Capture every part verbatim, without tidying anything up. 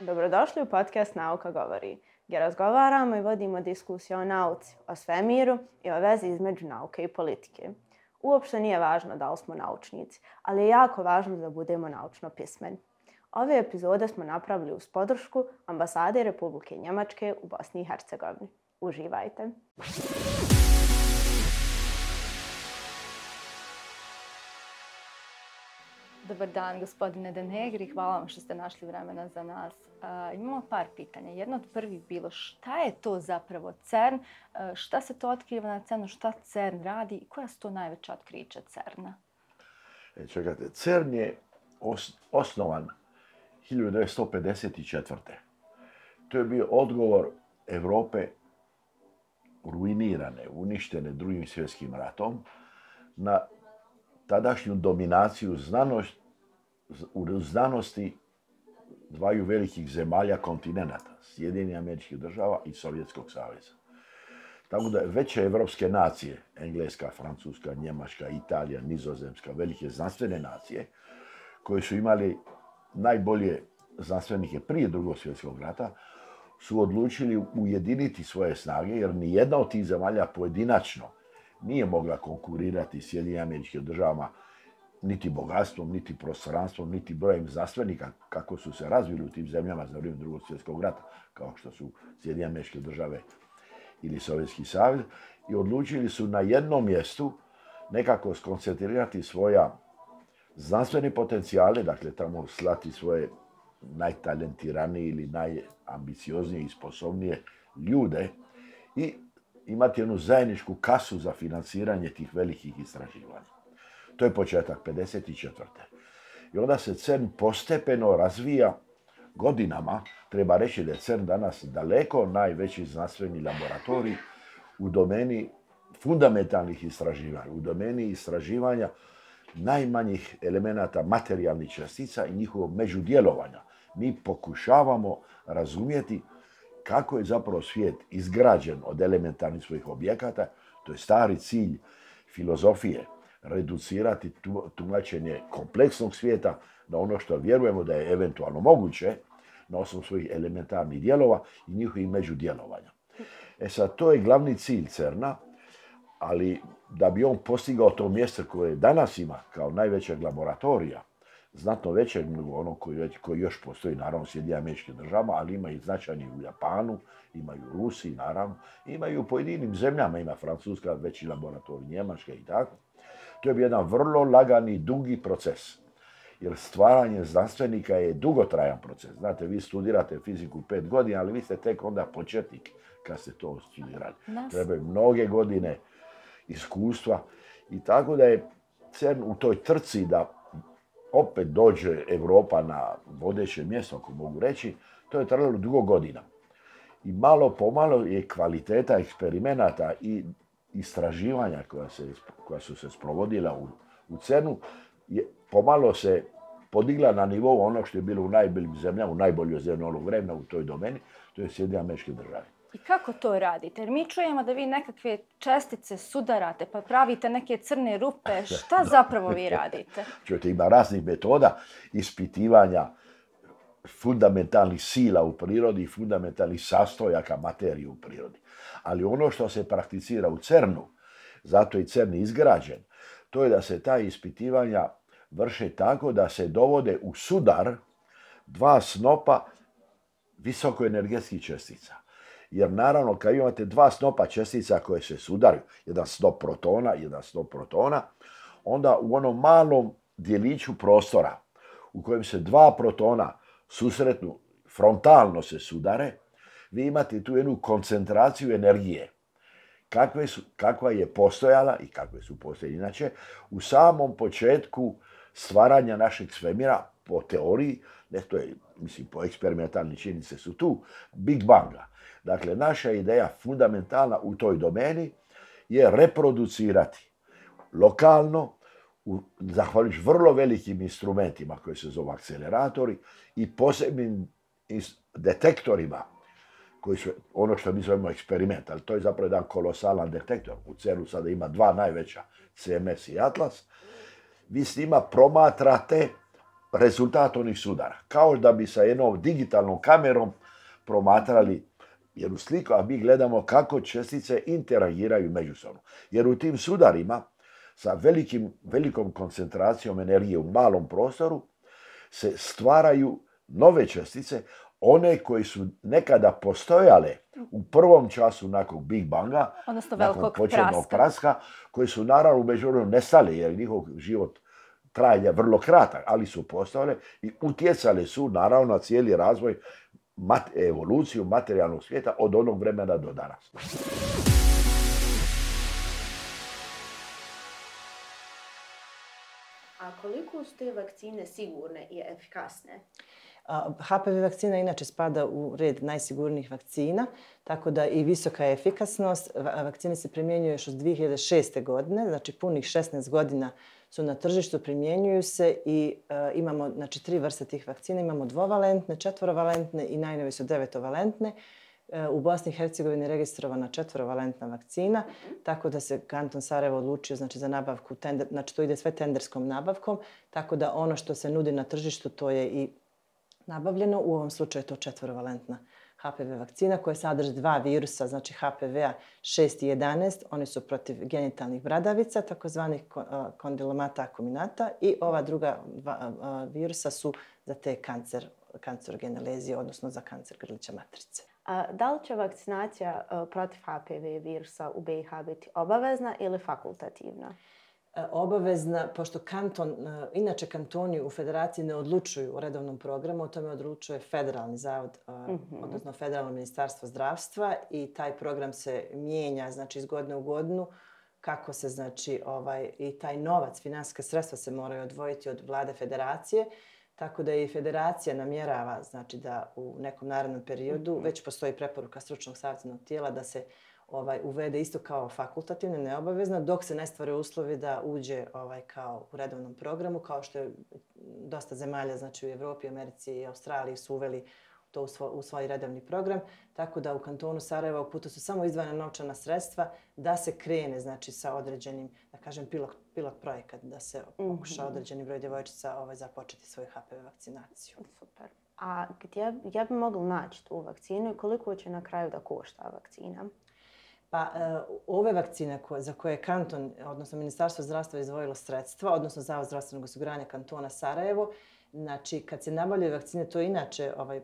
Dobrodošli u podcast Nauka govori, gdje razgovaramo i vodimo diskusiju o nauci, o svemiru i o vezi između nauke i politike. Uopšte nije važno da li smo naučnici, ali je jako važno da budemo naučno pismeni. Ove epizode smo napravili uz podršku Ambasade Republike Njemačke u Bosni i Hercegovini. Uživajte! Dobar dan, gospodine De Negri. Hvala vam što ste našli vremena za nas. Uh, imamo par pitanja. Jedno od prvih bilo šta je to zapravo CERN, uh, šta se to otkriva na CERNu, šta CERN radi i koja su to najveća otkrića CERNa? E, čekajte, CERN je os- osnovan hiljadu devetsto pedeset četvrte. To je bio odgovor Europe ruinirane, uništene Drugim svjetskim ratom na tadašnju dominaciju znanost, u znanosti dvaju velikih zemalja kontinenata, Sjedinjenih Američkih Država i Sovjetskog saveza. Tako da veće evropske nacije, Engleska, Francuska, Njemačka, Italija, Nizozemska, velike znanstvene nacije, koje su imali najbolje znanstvenike prije Drugog svjetskog rata, su odlučili ujediniti svoje snage, jer ni jedna od tih zemalja pojedinačno nije mogla konkurirati Sjedinjenim Američkim Državama niti bogatstvom, niti prostranstvom, niti brojem znanstvenika kako su se razvili u tim zemljama za vrijeme Drugog svjetskog rata, kao što su Sjedinjene Američke Države ili Sovjetski savez, i odlučili su na jednom mjestu nekako skoncentrirati svoja znanstvene potencijale, dakle tamo slati svoje najtalentiranije ili najambicioznije i sposobnije ljude i imati jednu zajedničku kasu za financiranje tih velikih istraživanja. To je početak pedeset četvrte. I onda se CERN postepeno razvija godinama. Treba reći da je CERN danas daleko najveći znanstveni laboratorij u domeni fundamentalnih istraživanja, u domeni istraživanja najmanjih elemenata materijalnih čestica i njihovog međudjelovanja. Mi pokušavamo razumjeti kako je zapravo svijet izgrađen od elementarnih svojih objekata. To je stari cilj filozofije, reducirati tumačenje kompleksnog svijeta na ono što vjerujemo da je eventualno moguće na osnovu svojih elementarnih dijelova i njihovih međudjelovanja. E sad, to je glavni cilj CERNa, ali da bi on postigao to mjesto koje danas ima kao najvećeg laboratorija, znatno većeg nego ono koji, koji još postoji, naravno, u Sjedinjenim Američkim Državama, ali ima i značajni u Japanu, imaju u Rusiji, naravno, imaju u pojedinim zemljama, ima Francuska veći laboratorij, Njemačka i tako. To je bio jedan vrlo lagani, dugi proces, jer stvaranje znanstvenika je dugotrajan proces. Znate, vi studirate fiziku pet godina, ali vi ste tek onda početnik kad ste to studirali. Trebaju mnoge godine iskustva i tako da je CERN u toj trci da opet dođe Europa na vodeće mjesto, ako mogu reći, to je trajalo dugo godina. I malo pomalo je kvaliteta eksperimenata i istraživanja koja, se, koja su se sprovodila u, u CERNu je pomalo se podigla na nivou onog što je bilo u najboljim zemljama, u najboljoj zemlji onog vremena u toj domeni, to je Sjedinjene Američke Države. I kako to radite? Jer mi čujemo da vi nekakve čestice sudarate, pa pravite neke crne rupe. Šta zapravo vi radite? Čujete, ima raznih metoda ispitivanja fundamentalnih sila u prirodi i fundamentalnih sastojaka materije u prirodi. Ali ono što se prakticira u CERNu, zato je CERN izgrađen, to je da se ta ispitivanja vrše tako da se dovode u sudar dva snopa visokoenergetskih čestica. Jer naravno, kad imate dva snopa čestica koje se sudaraju, jedan snop protona, jedan snop protona, onda u onom malom djeliću prostora u kojem se dva protona susretnu, frontalno se sudare, vi imate tu jednu koncentraciju energije. Kakve su, kakva je postojala i kakve su postojali inače u samom početku stvaranja našeg svemira, po teoriji, ne, to je, mislim, po eksperimentalni činjenice su tu, Big Banga. Dakle, naša ideja fundamentalna u toj domeni je reproducirati lokalno, u, zahvaljujući vrlo velikim instrumentima koji se zovu akceleratori i posebnim detektorima, koji su ono što mi zovemo eksperiment, ali to je zapravo jedan kolosalan detektor. U CERNu sada ima dva najveća, C M S i Atlas. Vi s njima promatrate rezultat onih sudara. Kao da bi sa jednom digitalnom kamerom promatrali jednu sliku, a mi gledamo kako čestice interagiraju međusobno. Jer u tim sudarima sa velikim, velikom koncentracijom energije u malom prostoru se stvaraju nove čestice, one koje su nekada postojale u prvom času nakon Big Banga, odnosno nakon početnog praska. praska, koje su naravno u međuvremenu nestale, jer njihov život trajanja vrlo kratak, ali su postojale i utjecale su naravno na cijeli razvoj, mat, evoluciju materijalnog svijeta od onog vremena do danas. A koliko su te vakcine sigurne i efikasne? H P V vakcina inače spada u red najsigurnijih vakcina, tako da i visoka je efikasnost. Vakcine se primjenjuju još od dvije hiljade šeste. godine, znači punih šesnaest godina su na tržištu, primjenjuju se i uh, imamo znači, tri vrste tih vakcina. Imamo dvovalentne, četvorovalentne i najnovije su devetovalentne. U Bosni i Hercegovini je registrovana četvorovalentna vakcina, tako da se kanton Sarajevo odlučio znači, za nabavku, tender, znači to ide sve tenderskom nabavkom, tako da ono što se nudi na tržištu to je i nabavljeno. U ovom slučaju je to četvorovalentna H P V vakcina koja sadrži dva virusa, znači H P V-a šest i jedanaest, oni su protiv genitalnih bradavica, takozvanih kondilomata akuminata, i ova druga dva virusa su za te kancer, kancerogene lezije, odnosno za kancer grlića matrice. A da li će vakcinacija protiv H P V virusa u B i H biti obavezna ili fakultativna? Obavezna, pošto kanton, inače kantoni u federaciji ne odlučuju o redovnom programu, o tome odlučuje Federalni zavod, mm-hmm. odnosno Federalno ministarstvo zdravstva, i taj program se mijenja znači, iz godine u godinu, kako se znači ovaj, i taj novac, finansijska sredstva se moraju odvojiti od vlade federacije, tako da i federacija namjerava znači, da u nekom narednom periodu, mm-hmm. već postoji preporuka stručnog savjetodavnog tijela da se ovaj, uvede isto kao fakultativno, neobavezno, dok se ne stvore uslovi da uđe ovaj, kao u redovnom programu, kao što je dosta zemalja znači, u Evropi, Americi i Australiji su uveli to u svoj, u svoj redovni program. Tako da u kantonu Sarajeva u putu su samo izdvojena novčana sredstva da se krene znači, sa određenim, da kažem, pilot, pilot projekat, da se pokuša mm-hmm. određeni broj djevojčica ovaj, započeti svoju H P V vakcinaciju. Super. A gdje, gdje bi mogli naći tu vakcinu i koliko će na kraju da košta vakcina? Pa ove vakcine koje, za koje je kanton, odnosno Ministarstvo zdravstva izdvojilo sredstva, odnosno Zavod zdravstvenog osiguranja kantona Sarajevo, znači kad se nabavljaju vakcine, to je inače ovaj,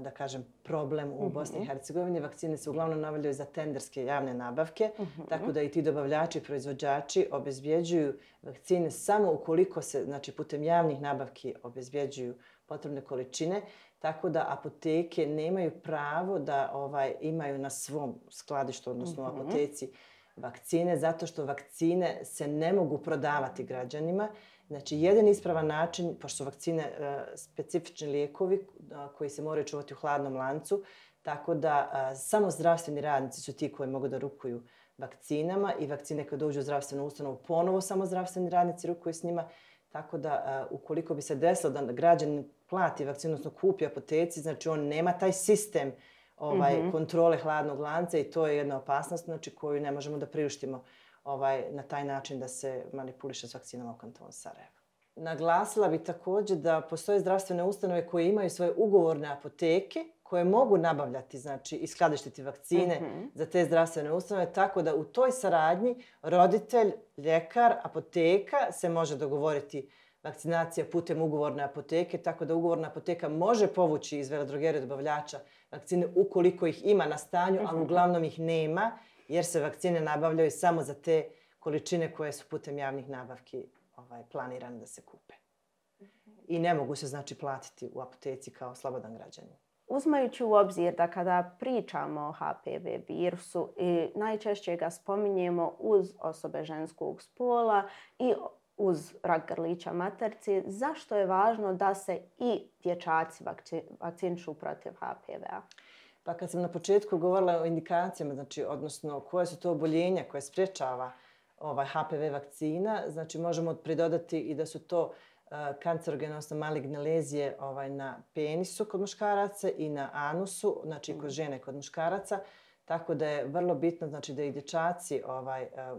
da kažem, problem u Bosni i Hercegovini. Vakcine se uglavnom nabavljaju za tenderske javne nabavke, mm-hmm. tako da i ti dobavljači i proizvođači obezbjeđuju vakcine samo ukoliko se znači, putem javnih nabavki obezbjeđuju potrebne količine. Tako da apoteke nemaju pravo da ovaj, imaju na svom skladištu, odnosno mm-hmm. u apoteci, vakcine, zato što vakcine se ne mogu prodavati građanima. Znači, jedan ispravan način, pošto su vakcine uh, specifični lijekovi uh, koji se moraju čuvati u hladnom lancu, tako da uh, samo zdravstveni radnici su ti koji mogu da rukuju vakcinama, i vakcine kad dođu u zdravstvenu ustanovu, ponovo samo zdravstveni radnici rukuju s njima. Tako da, uh, ukoliko bi se desilo da građanin plati vakcinu, odnosno kupi apoteci, znači on nema taj sistem ovaj, mm-hmm. kontrole hladnog lanca, i to je jedna opasnost znači, koju ne možemo da priuštimo ovaj, na taj način da se manipuliše s vakcinama u kantonu Sarajevo. Naglasila bi također da postoje zdravstvene ustanove koje imaju svoje ugovorne apoteke koje mogu nabavljati znači, i skladištiti vakcine mm-hmm. za te zdravstvene ustanove, tako da u toj saradnji roditelj, ljekar, apoteka se može dogovoriti vakcinacija putem ugovorne apoteke, tako da ugovorna apoteka može povući iz veledrogerije dobavljača vakcine ukoliko ih ima na stanju, mm-hmm. ali uglavnom ih nema, jer se vakcine nabavljaju samo za te količine koje su putem javnih nabavki ovaj, planirane da se kupe. I ne mogu se znači platiti u apoteci kao slobodan građanin. Uzmajući u obzir da kada pričamo o H P V virusu, i najčešće ga spominjemo uz osobe ženskog spola i uz rak grlića maternice, zašto je važno da se i dječaci vakcinišu protiv H P V-a? Pa kad sam na početku govorila o indikacijama, znači, odnosno koje su to oboljenja koje sprječava ovaj H P V vakcina, znači možemo pridodati i da su to uh, kancerogene, odnosno maligne lezije ovaj, na penisu kod muškaraca i na anusu, znači kod žene kod muškaraca, tako da je vrlo bitno znači, da i dječaci ovaj, uh,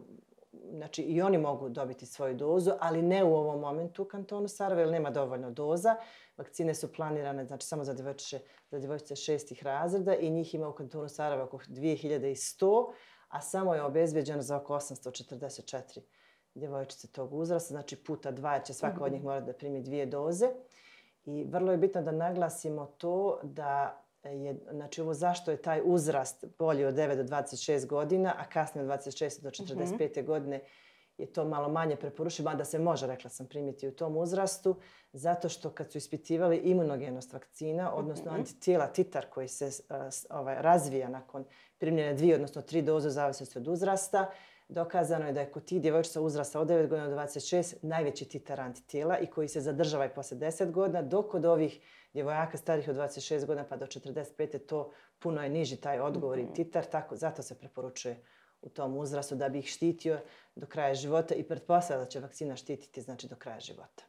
znači i oni mogu dobiti svoju dozu, ali ne u ovom momentu u kantonu Sarajevo, jer nema dovoljno doza. Vakcine su planirane, znači samo za djevojčice, za djevojčice šestih razreda i njih ima u kantonu Sarajevo oko dvije hiljade sto, a samo je obezbeđeno za oko osamsto četrdeset četiri djevojčice tog uzrasta, znači puta dva, jer će svaka od njih morati da primi dvije doze. I vrlo je bitno da naglasimo to da je, znači ovo zašto je taj uzrast bolji od devet do dvadeset šest godina, a kasnije od dvadeset šest do četrdeset pete mm-hmm. godine je to malo manje preporučivo, mada se može, rekla sam, primiti u tom uzrastu, zato što kad su ispitivali imunogenost vakcina, odnosno mm-hmm. antitijela, titar koji se uh, ovaj, razvija nakon primljene dvije, odnosno tri doze u zavisnosti od uzrasta, dokazano je da je kod tih djevojčica uzrasta od devet godina do dvadeset šest najveći titar antitijela i koji se zadržava i poslije deset godina, dok kod ovih djevojaka starih od dvadeset šest godina pa do četrdeset pete to puno je niži taj odgovor mm-hmm. i titar, tako zato se preporučuje u tom uzrastu da bi ih štitio do kraja života i pretpostavlja da će vakcina štititi znači do kraja života.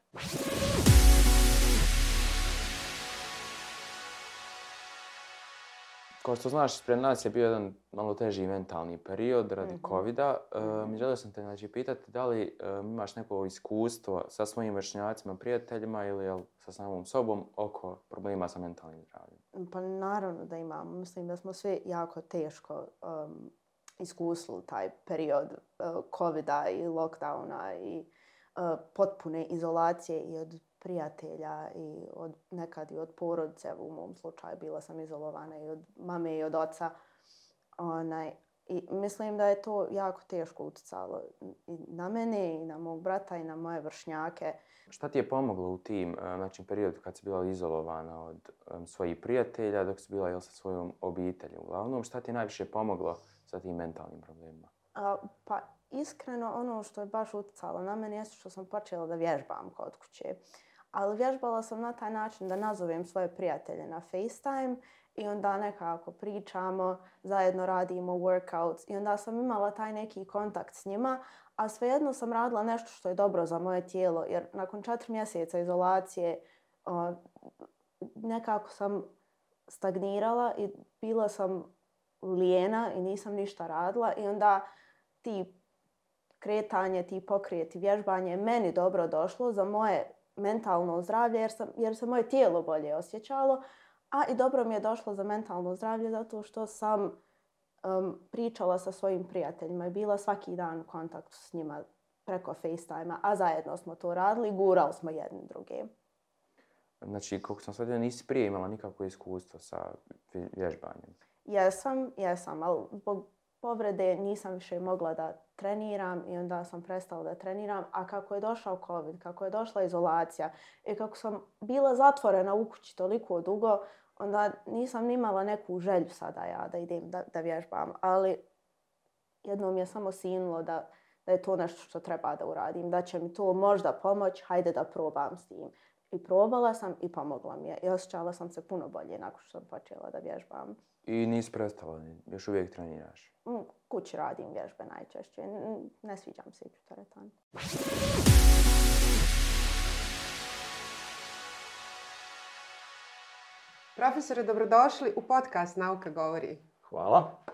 Kao što znaš, pred nas je bio jedan malo teži mentalni period radi mm-hmm. covida. Um, želio sam te znači, pitati da li um, imaš neko iskustvo sa svojim vršnjacima, prijateljima ili jel, sa samom sobom oko problema sa mentalnim zdravljem? Pa naravno da imamo. Mislim da smo svi jako teško um, iskusili taj period uh, covida i lockdowna i uh, potpune izolacije i od prijatelja i od, nekad i od porodice. U mom slučaju bila sam izolovana i od mame i od oca. Onaj, i mislim da je to jako teško utjecalo i na mene i na mog brata i na moje vršnjake. Šta ti je pomoglo u tim znači, periodu kad si bila izolovana od um, svojih prijatelja dok si bila jel, sa svojom obitelji uglavnom? Šta ti je najviše pomoglo sa tim mentalnim problemima? A, pa iskreno ono što je baš utjecalo na mene je što sam počela da vježbam kod kuće. Ali vježbala sam na taj način da nazovem svoje prijatelje na FaceTime i onda nekako pričamo, zajedno radimo workouts i onda sam imala taj neki kontakt s njima, a svejedno sam radila nešto što je dobro za moje tijelo, jer nakon četiri mjeseca izolacije o, nekako sam stagnirala i bila sam lijena i nisam ništa radila i onda ti kretanje, ti pokrijeti, vježbanje je meni dobro došlo za moje mentalno zdravlje jer, sam, jer se moje tijelo bolje osjećalo, a i dobro mi je došlo za mentalno zdravlje zato što sam um, pričala sa svojim prijateljima i bila svaki dan u kontaktu s njima preko FaceTime-a, a zajedno smo to radili i gurali smo jedni druge. Znači, kako sam shvatila, nisi prije imala nikakvo iskustvo sa vježbanjem? Jesam, jesam, ali zbog povrede nisam više mogla da treniram i onda sam prestala da treniram. A kako je došao COVID, kako je došla izolacija i kako sam bila zatvorena u kući toliko dugo, onda nisam imala neku želju sada ja da idem da, da vježbam. Ali jednom je samo sinulo da, da je to nešto što treba da uradim, da će mi to možda pomoći, hajde da probam s tim. I probala sam i pomogla mi je. I osjećala sam se puno bolje nakon što sam počela da vježbam. I nisi prestala, još uvijek treniraš? U kući radim vježbe najčešće. Ne sviđam se ići u teretanu. Profesore, dobrodošli u podcast Nauka govori. Hvala.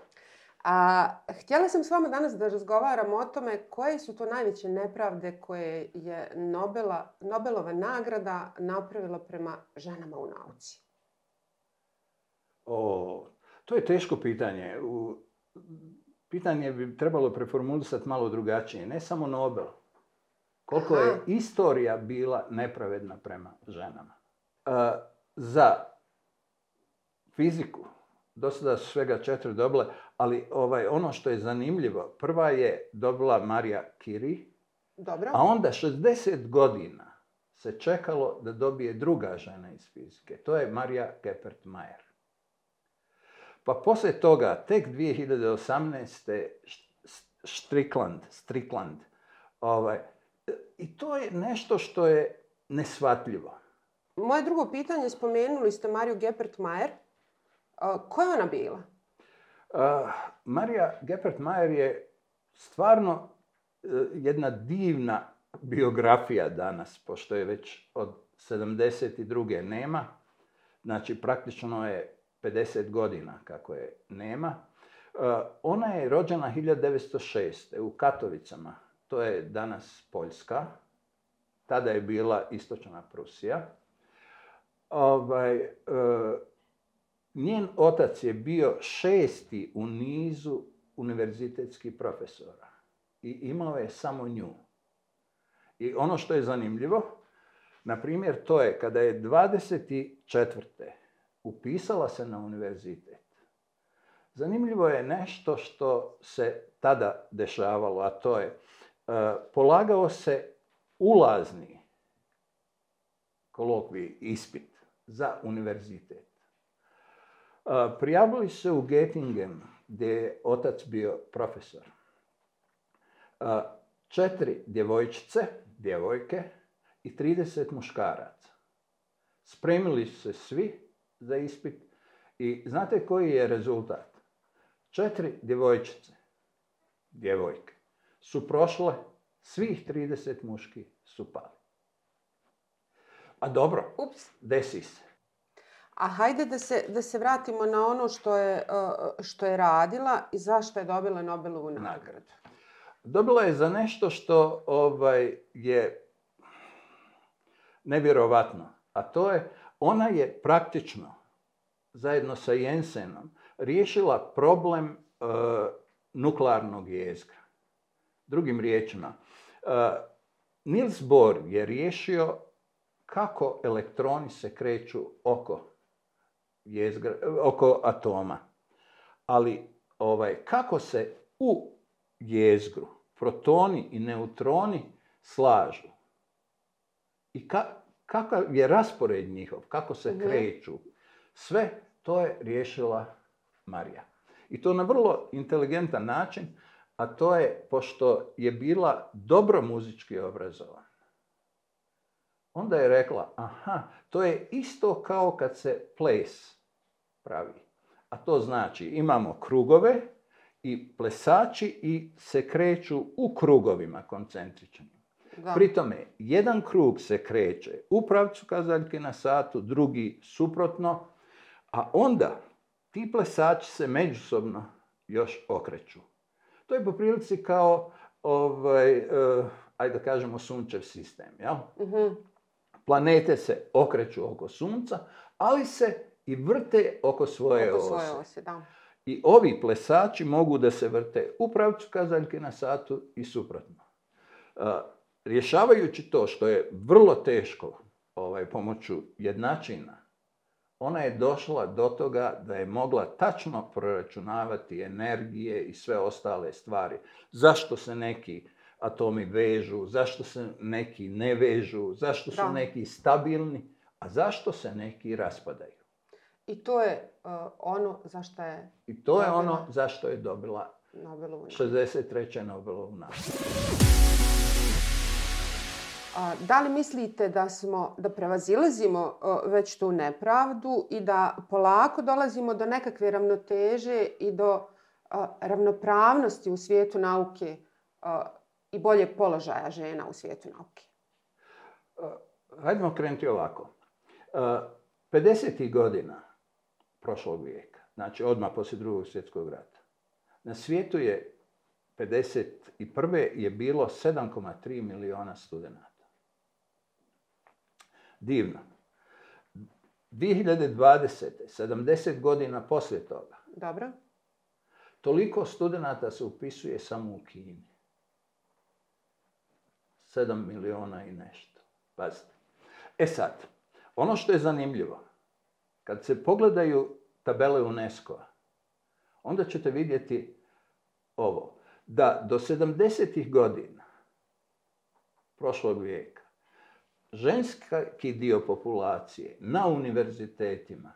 A, htjela sam s vama danas da razgovaram o tome koje su to najveće nepravde koje je Nobela, Nobelova nagrada napravila prema ženama u nauci. O, to je teško pitanje. U, pitanje bi trebalo preformulisati malo drugačije. Ne samo Nobel. Koliko Aha. je istorija bila nepravedna prema ženama. E, za fiziku do sada su svega četiri dobile, ali ovaj, ono što je zanimljivo, prva je dobila Marija Curie, Dobro. A onda šezdeset godina se čekalo da dobije druga žena iz fizike. To je Marija Geppert-Mayer. Pa poslije toga, tek dvije hiljade osamnaeste. Strickland, Strickland. Ovaj, i to je nešto što je neshvatljivo. Moje drugo pitanje, spomenuli ste Mariju Geppert-Mayer. Uh, ko je ona bila? Uh, Marija Geppert-Mayer je stvarno uh, jedna divna biografija danas, pošto je već od sedamdeset druge nema. Znači, praktično je pedeset godina kako je nema. Uh, ona je rođena hiljadu devetsto šeste. u Katovicama to je danas Poljska, tada je bila Istočna Prusija. Ovaj, e, njen otac je bio šesti u nizu univerzitetskih profesora i imao je samo nju. I ono što je zanimljivo, na primjer, to je kada je dvadeset četvrte upisala se na univerzitet. Zanimljivo je nešto što se tada dešavalo, a to je uh, polagao se ulazni kolokvij, ispit za univerzitet. Uh, prijavili se u Göttingen, gdje je otac bio profesor. Uh, četiri djevojčice, djevojke i trideset muškaraca. Spremili su se svi za ispit i znate koji je rezultat? Četiri djevojčice, djevojke, su prošle, svih trideset muški su pali. A dobro, Ups. desi se. A hajde da se, da se vratimo na ono što je, što je radila i zašto je dobila Nobelovu nagradu. Dobila je za nešto što ovaj, je nevjerovatno, a to je, ona je praktično, zajedno sa Jensenom, riješila problem e, nuklearnog jezgra. Drugim riječima, e, Niels Bohr je riješio kako elektroni se kreću oko, jezgra, oko atoma. Ali ovaj, kako se u jezgru protoni i neutroni slažu i ka, kakav je raspored njihov, kako se mm-hmm. kreću, sve to je riješila Marija. I to na vrlo inteligentan način, a to je, pošto je bila dobro muzički obrazovana, onda je rekla, aha, to je isto kao kad se ples pravi. A to znači, imamo krugove i plesači i se kreću u krugovima koncentričnim. Da. Pri tome, jedan krug se kreće u pravcu kazaljke na satu, drugi suprotno, a onda ti plesači se međusobno još okreću. To je po prilici kao, ovaj, uh, ajde da kažemo, sunčev sistem. Jel? Uh-huh. Planete se okreću oko sunca, ali se i vrte oko svoje oko ose. Svoje ose da. I ovi plesači mogu da se vrte u pravcu kazaljke na satu i suprotno. Uh, rješavajući to, što je vrlo teško ovaj, pomoću jednačina, ona je došla do toga da je mogla tačno proračunavati energije i sve ostale stvari. Zašto se neki atomi vežu, zašto se neki ne vežu, zašto su da. neki stabilni, a zašto se neki raspadaju. I to je uh, ono zašto je... I to je dobila... ono zašto je dobila Nobelovu šezdeset treće Nobelovu nagradu. Da li mislite da smo, da prevazilazimo već tu nepravdu i da polako dolazimo do nekakve ravnoteže i do ravnopravnosti u svijetu nauke i boljeg položaja žena u svijetu nauke? Hajdemo krenuti ovako. pedesetih godina prošlog vijeka, znači odmah poslije drugog svjetskog rata, na svijetu je pedeset prve je bilo sedam zarez tri miliona studenata. Divno. dvije hiljade dvadesete. sedamdeset godina poslije toga. Dobro. Toliko studenata se upisuje samo u Kini. sedam miliona i nešto. Pazite. E sad, ono što je zanimljivo, kad se pogledaju tabele UNESCO-a, onda ćete vidjeti ovo, da do sedamdesetih godina prošlog vijeka ženski dio populacije na univerzitetima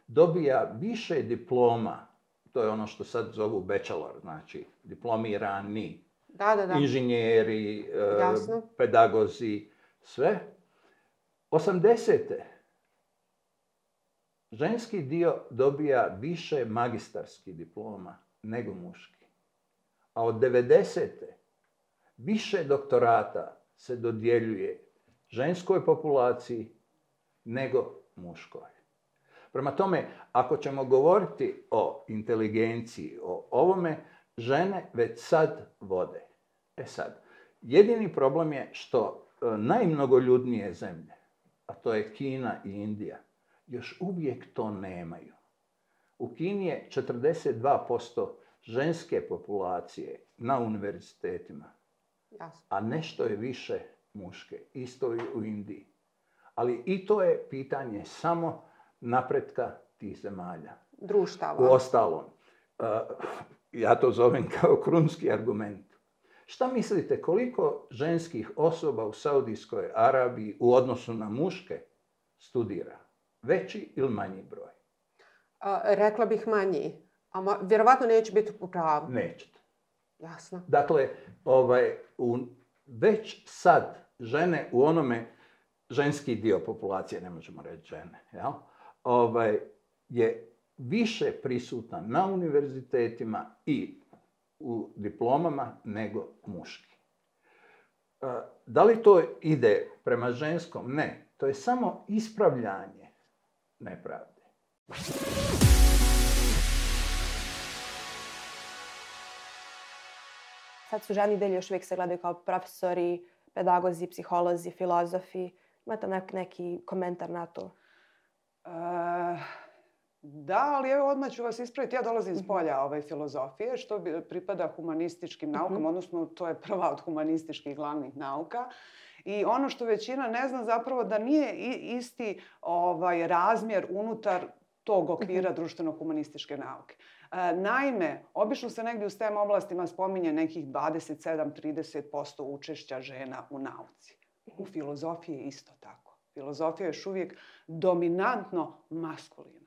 dobija više diploma, to je ono što sad zovu bachelor, znači diplomirani, da, da, da. inženjeri, Jasno. pedagozi, sve. osamdesete ženski dio dobija više magistarskih diploma nego muški. A od devedesete više doktorata se dodjeljuje ženskoj populaciji nego muškoj. Prema tome, ako ćemo govoriti o inteligenciji, o ovome, žene već sad vode. E sad, jedini problem je što e, najmnogoljudnije zemlje, a to je Kina i Indija, još uvijek to nemaju. U Kini je četrdeset dva posto ženske populacije na univerzitetima, Jasno. a nešto je više muške. Isto i u Indiji. Ali i to je pitanje samo napretka tih zemalja. Društava. U ostalom, uh, ja to zovem kao krunski argument. Šta mislite, koliko ženskih osoba u Saudijskoj Arabiji u odnosu na muške studira? Veći ili manji broj? A, rekla bih manji. A ma, vjerovatno neće biti u pravu. Nećete. Jasno. Dakle, ovaj, u, već sad žene u onome, ženski dio populacije, ne možemo reći žene, jel? Ovaj, je više prisutna na univerzitetima i u diplomama nego muški. Da li to ide prema ženskom? Ne. To je samo ispravljanje nepravde. Sad su ženi delji još uvijek se gledaju kao profesori, pedagozi, psiholozi, filozofi. Imate nek, neki komentar na to? E, da, ali evo odmah ću vas ispraviti. Ja dolazim iz polja ove filozofije, što bi, pripada humanističkim naukama, uh-huh. odnosno to je prva od humanističkih glavnih nauka. I ono što većina ne zna zapravo da nije isti ovaj, razmjer unutar tog okvira društveno-humanističke nauke. E, naime, obično se negdje u STEM oblastima spominje nekih dvadeset sedam do trideset posto učešća žena u nauci. U filozofiji je isto tako. Filozofija je još uvijek dominantno maskulina.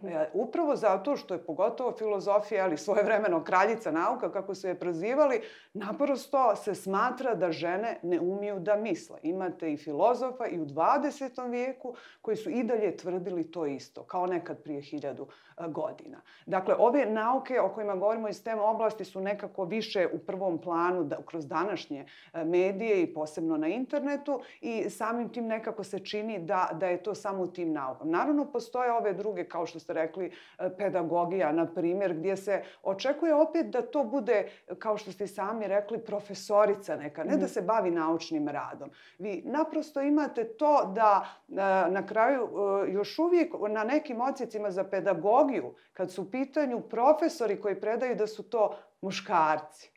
E, upravo zato što je pogotovo filozofija, ali svojevremeno kraljica nauka, kako su je prozivali, naprosto se smatra da žene ne umiju da misle. Imate i filozofa i u dvadesetom vijeku koji su i dalje tvrdili to isto, kao nekad prije hiljadu godina. Dakle, ove nauke o kojima govorimo iz STEM oblasti su nekako više u prvom planu da, kroz današnje medije i posebno na internetu i samim tim nekako se čini da, da je to samo u tim naukama. Naravno, postoje ove druge, kao što ste rekli, pedagogija, na primjer, gdje se očekuje opet da to bude, kao što ste sami rekli, profesorica neka, ne da se bavi naučnim radom. Vi naprosto imate to da na kraju još uvijek na nekim odsjecima za pedagogiju, kad su u pitanju profesori koji predaju da su to muškarci,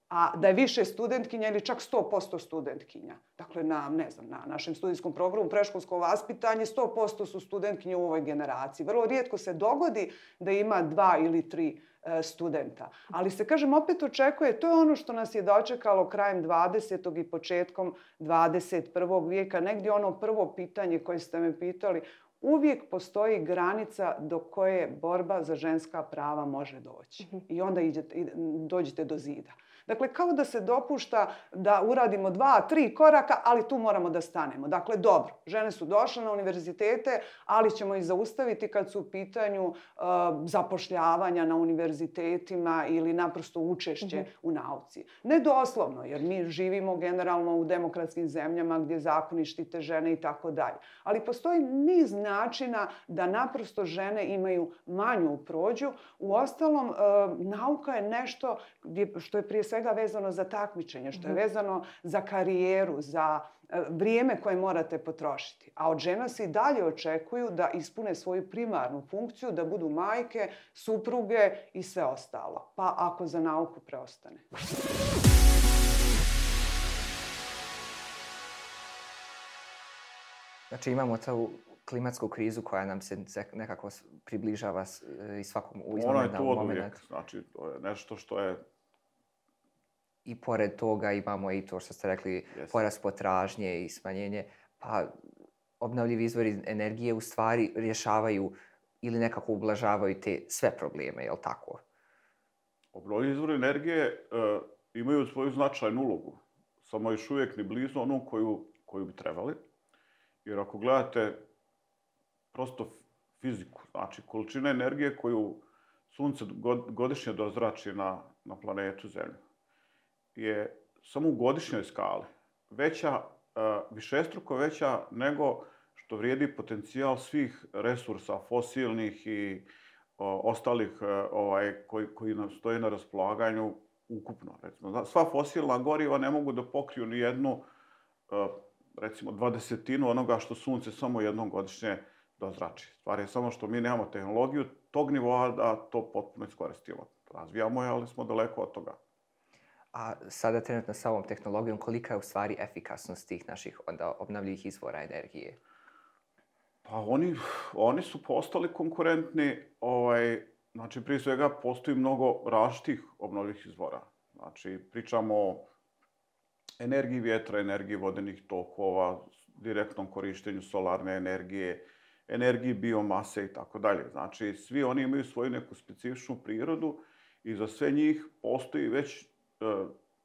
a da je više studentkinja ili čak sto posto studentkinja. Dakle, na, ne znam, na našem studijskom programu predškolsko vaspitanje sto posto su studentkinje u ovoj generaciji. Vrlo rijetko se dogodi da ima dva ili tri e, studenta. Ali se, kažem, opet očekuje, to je ono što nas je dočekalo krajem dvadesetog i početkom dvadeset prvog vijeka. Negdje ono prvo pitanje koje ste me pitali, uvijek postoji granica do koje borba za ženska prava može doći. I onda idete, dođete do zida. Dakle, kao da se dopušta da uradimo dva, tri koraka, ali tu moramo da stanemo. Dakle, dobro, žene su došle na univerzitete, ali ćemo ih zaustaviti kad su u pitanju uh, zapošljavanja na univerzitetima ili naprosto učešće mm-hmm. u nauci. Ne doslovno, jer mi živimo generalno u demokratskim zemljama gdje zakoni štite žene i tako dalje. Ali postoji niz načina da naprosto žene imaju manju prođu. Uostalom, uh, nauka je nešto gdje, što je prije svega vezano za takmičenje, što je vezano za karijeru, za vrijeme koje morate potrošiti. A od žena se i dalje očekuju da ispune svoju primarnu funkciju, da budu majke, supruge i sve ostalo. Pa ako za nauku preostane. Znači imamo tu klimatsku krizu koja nam se nekako približava i svakom u Ona je tu od uvijek. Znači, to je nešto što je... I pored toga imamo i to što ste rekli, yes. porast potražnje i smanjenje. Pa obnovljivi izvori energije u stvari rješavaju ili nekako ublažavaju te sve probleme, je li tako? Obnovljivi izvori energije uh, imaju svoju značajnu ulogu. Samo još uvijek ni blizu onu koju, koju bi trebali. Jer ako gledate prosto fiziku, znači količina energije koju sunce godišnje dozrači na, na planetu Zemlju, je samo u godišnjoj skali veća, višestruko veća nego što vrijedi potencijal svih resursa fosilnih i o, ostalih ovaj, koji, koji nam stoje na raspolaganju ukupno. Recimo, sva fosilna goriva ne mogu da pokriju ni jednu, recimo, dvadesetinu onoga što sunce samo jednom godišnje dozrači. Stvar je samo što mi nemamo tehnologiju tog nivoa da to potpuno iskoristimo. Razvijamo je, ali smo daleko od toga. A sada trenutno sa ovom tehnologijom, kolika je u stvari efikasnost tih naših onda obnovljivih izvora energije? Pa oni, oni su postali konkurentni. Ovaj, znači, prije svega, postoji mnogo različitih obnovljivih izvora. Znači, pričamo o energiji vjetra, energiji vodenih tokova, direktnom korištenju solarne energije, energiji biomase i tako dalje. Znači, svi oni imaju svoju neku specifičnu prirodu i za sve njih postoji već e,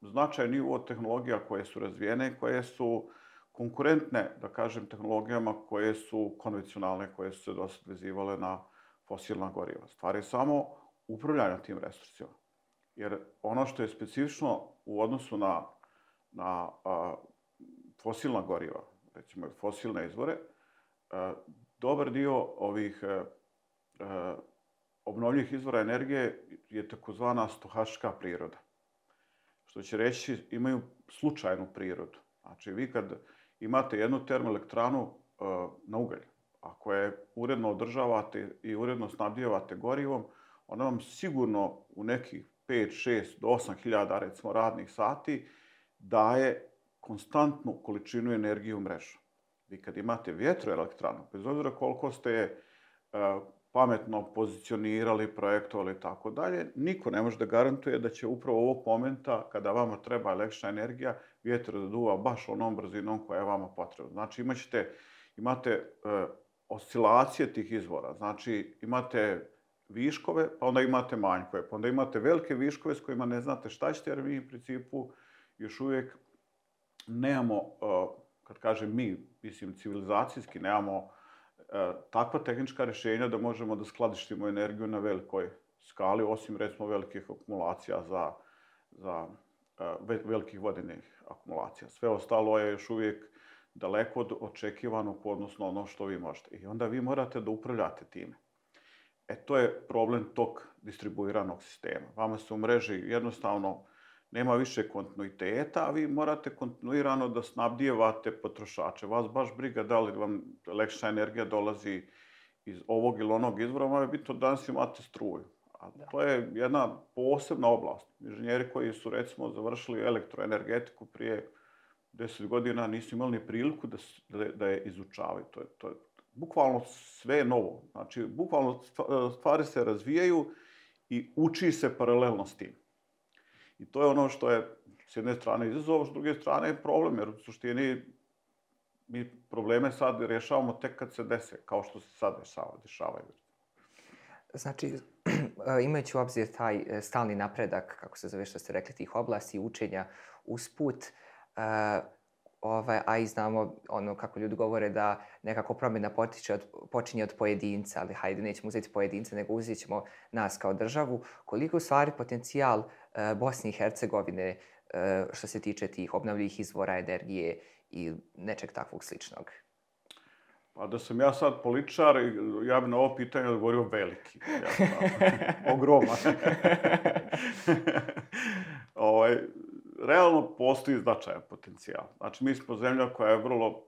značajan nivo tehnologija koje su razvijene, koje su konkurentne, da kažem, tehnologijama koje su konvencionalne, koje su se dosad vezivale na fosilna goriva. Stvar je samo upravljanja tim resursima. Jer ono što je specifično u odnosu na, na a, fosilna goriva, recimo fosilne izvore, a, dobar dio ovih a, a, obnovljivih izvora energije je takozvana stohastička priroda. Što će reći, imaju slučajnu prirodu. Znači, vi kad imate jednu termoelektranu uh, na ugalj, ako je uredno održavate i uredno snabdijevate gorivom, ona vam sigurno u nekih pet, šest do osam hiljada, recimo, radnih sati daje konstantnu količinu energije u mrežu. Vi kad imate vjetroelektranu, bez obzira koliko ste uh, pametno pozicionirali, projektovali i tako dalje, niko ne može da garantuje da će upravo ovog momenta, kada vama treba električna energija, vjetar da duva baš onom brzinom koja je vama potrebna. Znači, imaćete, imate e, oscilacije tih izvora. Znači, imate viškove, pa onda imate manjkove, pa onda imate velike viškove s kojima ne znate šta ćete, jer mi u principu još uvijek nemamo, e, kad kažem mi, mislim civilizacijski, nemamo e, takva tehnička rješenja da možemo da skladištimo energiju na velikoj skali, osim, recimo, velikih akumulacija za, za velikih vodenih akumulacija. Sve ostalo je još uvijek daleko od očekivanog, odnosno ono što vi možete. I onda vi morate da upravljate time. E, to je problem tog distribuiranog sistema. Vama se u mreži jednostavno nema više kontinuiteta, a vi morate kontinuirano da snabdijevate potrošače. Vas baš briga da li vam električna energija dolazi iz ovog ili onog izvora, vam je bitno da danas imate struju. A to je jedna posebna oblast. Inženjeri koji su, recimo, završili elektroenergetiku prije deset godina nisu imali ni priliku da, da, da je izučavaju. To je, to je, bukvalno sve je novo. Znači, bukvalno stvari se razvijaju i uči se paralelno s tim. I to je ono što je s jedne strane izazov, s druge strane je problem, jer u suštini mi probleme sad rješavamo tek kad se dese, kao što se sad dešavaju. Znači, imajući u obzir taj stalni napredak, kako se zove što ste rekli, tih oblasti učenja usput, uh, ovaj, a i znamo ono kako ljudi govore da nekako promjena potiče od, počinje od pojedinca, ali hajde, nećemo uzeti pojedinca, nego uzet ćemo nas kao državu. Koliko u stvari potencijal uh, Bosne i Hercegovine uh, što se tiče tih obnovljivih izvora energije i nečeg takvog sličnog? Pa da sam ja sad političar, ja bi na ovo pitanje odgovorio veliki. Ja, ogroman. ovaj, realno postoji značajan potencijal. Znači, mi smo zemlja koja je vrlo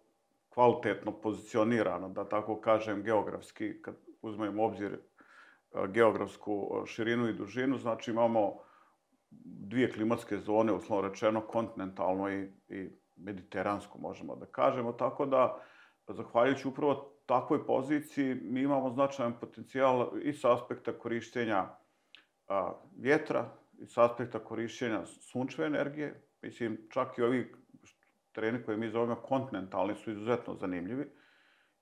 kvalitetno pozicionirana, da tako kažem, geografski, kad uzmemo obzir geografsku širinu i dužinu, znači imamo dvije klimatske zone, uslovno rečeno, kontinentalno i, i mediteransku, možemo da kažemo, tako da zahvaljujući upravo takvoj poziciji, mi imamo značajan potencijal i s aspekta korištenja a, vjetra, i s aspekta korištenja sunčeve energije. Mislim, čak i ovi tereni koje mi zovemo kontinentalni su izuzetno zanimljivi,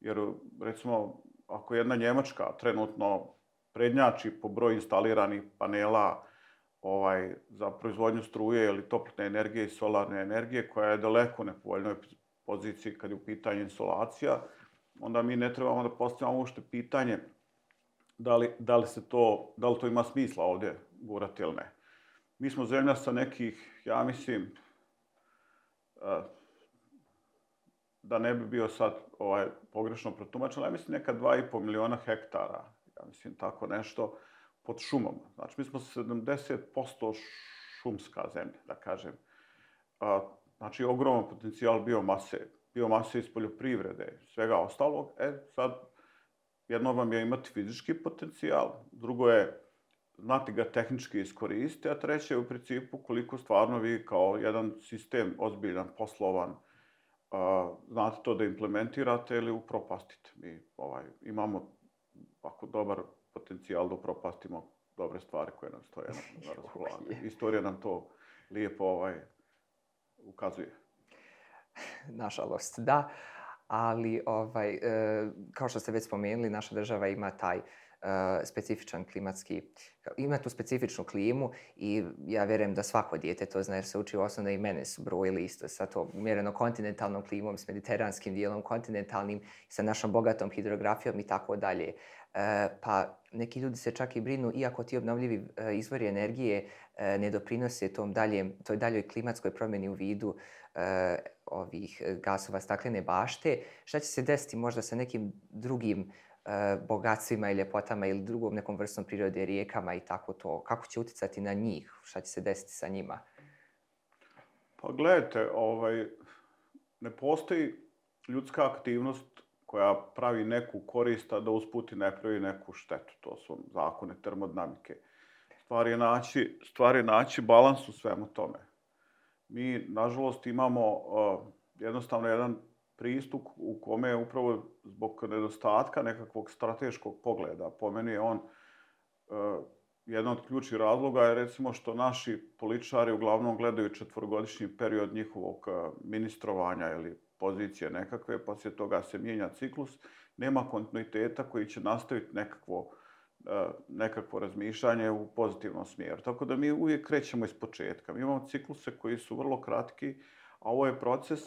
jer, recimo, ako jedna Njemačka trenutno prednjači po broju instaliranih panela ovaj, za proizvodnju struje ili toplotne energije i solarne energije, koja je daleko nepovoljnoj poziciji kad je u pitanju insolacija, onda mi ne trebamo da postavljamo uopšte pitanje da li, da li se to, da li to ima smisla ovdje gurati ili ne. Mi smo zemlja sa nekih, ja mislim, da ne bi bio sad ovaj, pogrešno protumačen, ja mislim neka dva i po miliona hektara, ja mislim tako nešto, pod šumom. Znači, mi smo sedamdeset posto šumska zemlja, da kažem. A, znači, ogroman potencijal biomase, biomase iz poljoprivrede, svega ostalog. E, sad, jedno vam je imati fizički potencijal, drugo je znati ga tehnički iskoristiti, a treće je u principu koliko stvarno vi kao jedan sistem ozbiljan, poslovan, uh, znate to da implementirate ili upropastite. Mi ovaj, imamo ako dobar potencijal da upropastimo dobre stvari koje nam stoje na raspolaganju. Istorija nam to lijepo ovaj, ukazuje. Nažalost, da. Ali, ovaj, e, kao što ste već spomenuli, naša država ima taj Uh, specifičan klimatski, ima tu specifičnu klimu i ja vjerujem da svako dijete to zna jer se uči osnovno i mene su brojili isto sa to umjereno kontinentalnom klimom, s mediteranskim dijelom, kontinentalnim, sa našom bogatom hidrografijom i tako dalje. Uh, pa neki ljudi se čak i brinu, iako ti obnovljivi uh, izvori energije uh, ne doprinose tom daljem, toj daljoj klimatskoj promjeni u vidu uh, ovih gasova staklene bašte, šta će se desiti možda sa nekim drugim bogatstvima i ljepotama ili drugom nekom vrstom prirode, rijekama i tako to. Kako će utjecati na njih? Šta će se desiti sa njima? Pa gledajte, ovaj, ne postoji ljudska aktivnost koja pravi neku korist, a da usput ne pravi neku štetu. To su zakone termodinamike. Stvar je naći, stvar je naći balans u svemu tome. Mi, nažalost, imamo uh, jednostavno jedan pristup u kome je upravo zbog nedostatka nekakvog strateškog pogleda. Po meni je on uh, jedan od ključnih razloga je recimo što naši političari uglavnom gledaju četvorogodišnji period njihovog uh, ministrovanja ili pozicije nekakve, poslije toga se mijenja ciklus, nema kontinuiteta koji će nastaviti nekakvo, uh, nekakvo razmišljanje u pozitivnom smjeru. Tako da mi uvijek krećemo iz početka. Mi imamo cikluse koji su vrlo kratki, a ovo je proces